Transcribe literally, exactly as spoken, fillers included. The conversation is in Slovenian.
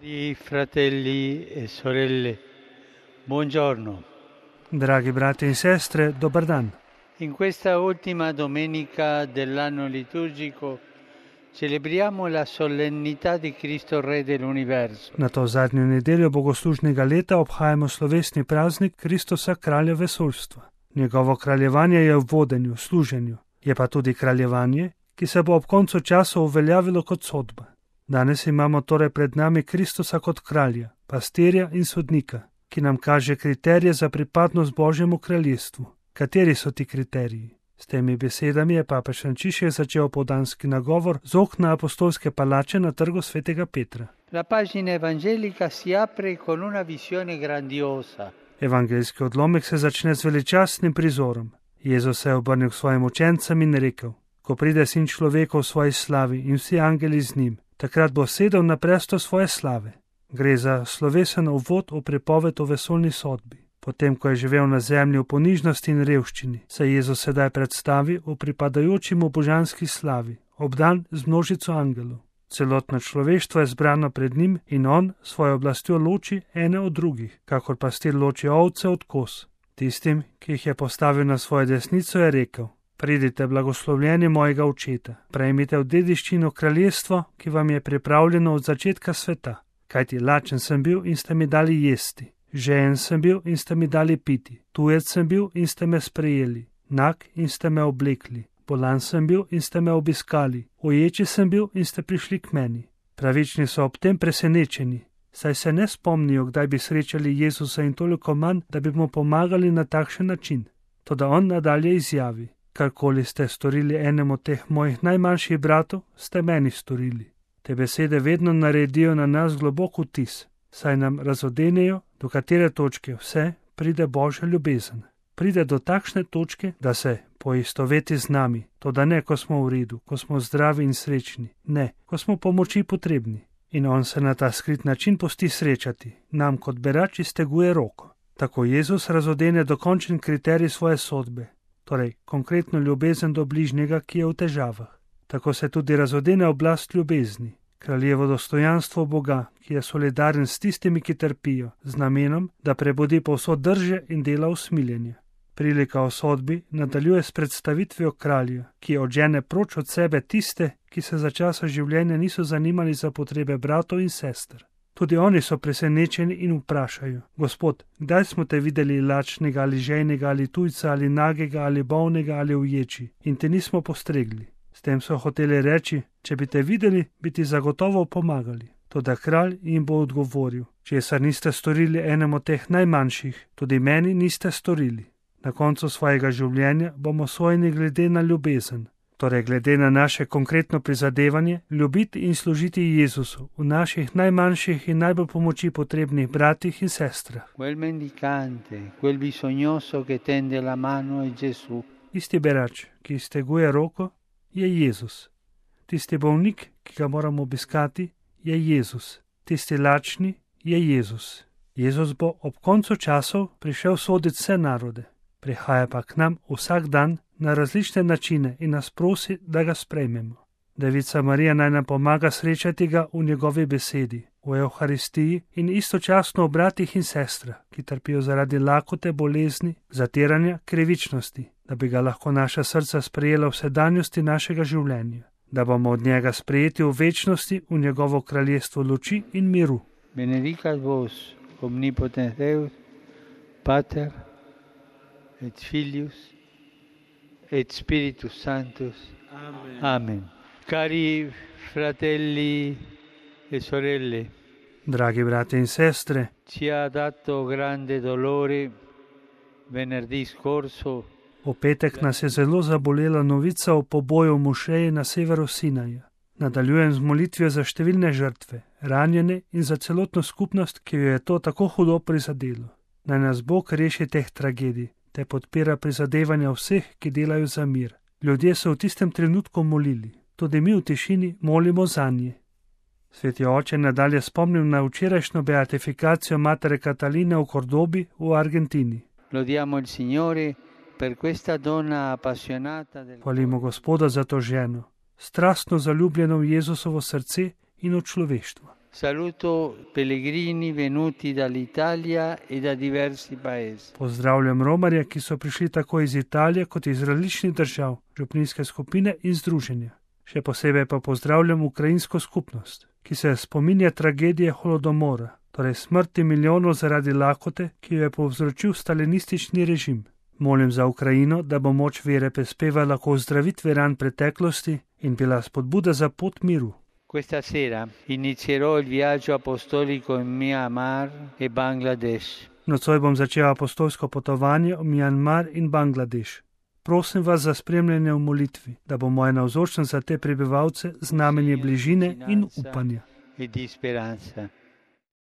Cari fratelli e sorelle, buongiorno. Dragi brati in sestre, dobar dan. In questa ultima domenica dell'anno liturgico celebriamo la solennità di Cristo Re dell'universo. Na to zadnjo nedeljo bogoslužnega leta obhajamo slovesni praznik Kristusa, kralja vesoljstva. Njegovo kraljevanje je v vodenju, služenju, je pa tudi kraljevanje, ki se bo ob koncu časa uveljavilo kot sodba. Danes imamo torej pred nami Kristusa kot kralja, pastirja in sodnika, ki nam kaže kriterije za pripadnost Božjemu kraljestvu. Kateri so ti kriteriji? S temi besedami je papež Frančišek začel opoldanski nagovor z okna apostolske palače na trgu svetega Petra. La pagina evangelica si apre con una visione grandiosa. Evangeljski odlomek se začne z veličastnim prizorom. Jezus se je obrnil k svojim učencem in rekel: Ko pride sin človeka v svoji slavi in vsi angeli z njim, takrat bo sedel na prestol svoje slave. Gre za slovesen uvod v pripoved o vesoljni sodbi. Potem, ko je živel na zemlji v ponižnosti in revščini, se Jezus sedaj predstavi v pripadajoči mu božanski slavi, obdan z množico angelov. Celotno človeštvo je zbrano pred njim in on svojo oblastjo loči ene od drugih, kakor pastir loči ovce od koz. Tistim, ki jih je postavil na svojo desnico, je rekel: Pridite, blagoslovljeni mojega očeta, prejmite v dediščino kraljestvo, ki vam je pripravljeno od začetka sveta. Kajti lačen sem bil in ste mi dali jesti, žejen sem bil in ste mi dali piti, tujec sem bil in ste me sprejeli, nag in ste me oblekli, bolan sem bil in ste me obiskali, uječi sem bil in ste prišli k meni. Pravični so ob tem presenečeni, saj se ne spomnijo, kdaj bi srečali Jezusa in toliko manj, da bi mu pomagali na takšen način. Toda on nadalje izjavi: Karkoli ste storili enemu teh mojih najmanjših bratov, ste meni storili. Te besede vedno naredijo na nas globok vtis, saj nam razodenejo, do katere točke vse pride Božja ljubezen. Pride do takšne točke, da se poistoveti z nami, toda ne, ko smo v redu, ko smo zdravi in srečni, ne, ko smo pomoči potrebni. In on se na ta skrit način pusti srečati, nam kot berač izteguje roko. Tako Jezus razodene dokončen kriterij svoje sodbe, torej konkretno ljubezen do bližnjega, ki je v težavah. Tako se tudi razodene oblast ljubezni, kraljevo dostojanstvo Boga, ki je solidaren s tistimi, ki trpijo, z namenom, da prebudi povsod drže in dela usmiljenje. Prilika o sodbi nadaljuje s predstavitvijo kralja, ki odžene proč od sebe tiste, ki se za časa življenja niso zanimali za potrebe bratov in sester. Tudi oni so presenečeni in vprašajo: Gospod, kdaj smo te videli lačnega ali žejnega ali tujca ali nagega ali bolnega ali uječi in te nismo postregli? S tem so hoteli reči: če bi te videli, bi ti zagotovo pomagali. Toda kralj jim bo odgovoril: česar niste storili enemu teh najmanjših, tudi meni niste storili. Na koncu svojega življenja bomo sojeni glede na ljubezen, torej glede na naše konkretno prizadevanje ljubiti in služiti Jezusu v naših najmanjših in najbolj pomoči potrebnih bratih in sestrah. Quel mendicante, quel bisognoso che tende la mano è Gesù. Isti berač, ki izteguje roko, je Jezus. Tisti bolnik, ki ga moramo obiskati, je Jezus. Tisti lačni je Jezus. Jezus bo ob koncu časov prišel soditi vse narode. Prihaja pa k nam vsak dan na različne načine in nas prosi, da ga sprejmemo. Devica Marija naj nam pomaga srečati ga v njegovi besedi, v Evharistiji in istočasno v bratih in sestrah, ki trpijo zaradi lakote, bolezni, zatiranja, krivičnosti, da bi ga lahko naša srca sprejela v sedanjosti našega življenja, da bomo od njega sprejeti v večnosti v njegovo kraljestvo luči in miru. Benedicat vos, omnipotens Deus, Pater et Filius et Spiritus Sanctus. Amen. Amen. Cari fratelli e sorelle, Dragi brati in sestre, ci ha dato grande dolore venerdì scorso v petek nas je zelo zabolela novica o poboju v mošeji na severu Sinaja. Nadaljujem z molitvijo za številne žrtve, ranjene in za celotno skupnost, ki jo je to tako hudo prizadelo. Naj nas Bog reši teh tragedij, te podpira prizadevanja vseh, ki delajo za mir. Ljudje so v tistem trenutku molili, tudi mi v tišini molimo zanje. Sveti oče nadalje spomnim na včerajšnjo beatifikacijo matere Kataline v Kordobi v Argentini. Lodiamo il Signore per questa donna appassionata del... Hvalimo Gospoda za to ženo, strastno zaljubljeno v Jezusovo srce in v človeštvo. Saluto pellegrini venuti dall'Italia e da diversi paesi. Pozdravljam romarje, ki so prišli tako iz Italije kot iz različnih držav, župnijske skupine in združenja. Še posebej pa pozdravljam ukrajinsko skupnost, ki se spominja tragedije holodomora, torej smrti milijonov zaradi lakote, ki jo je povzročil stalinistični režim. Molim za Ukrajino, da bo moč vere prispevala k ozdravitvi ran preteklosti in bila spodbuda za pot miru. Questa sera inizierò il viaggio apostolico in Myanmar e Bangladesh. Nocoj bom začel apostolsko potovanje v Myanmar in Bangladeš. Prosim vas za spremljanje v molitvi, da bo moja navzočnost za te prebivalce znamenje bližine in upanja. E di speranza.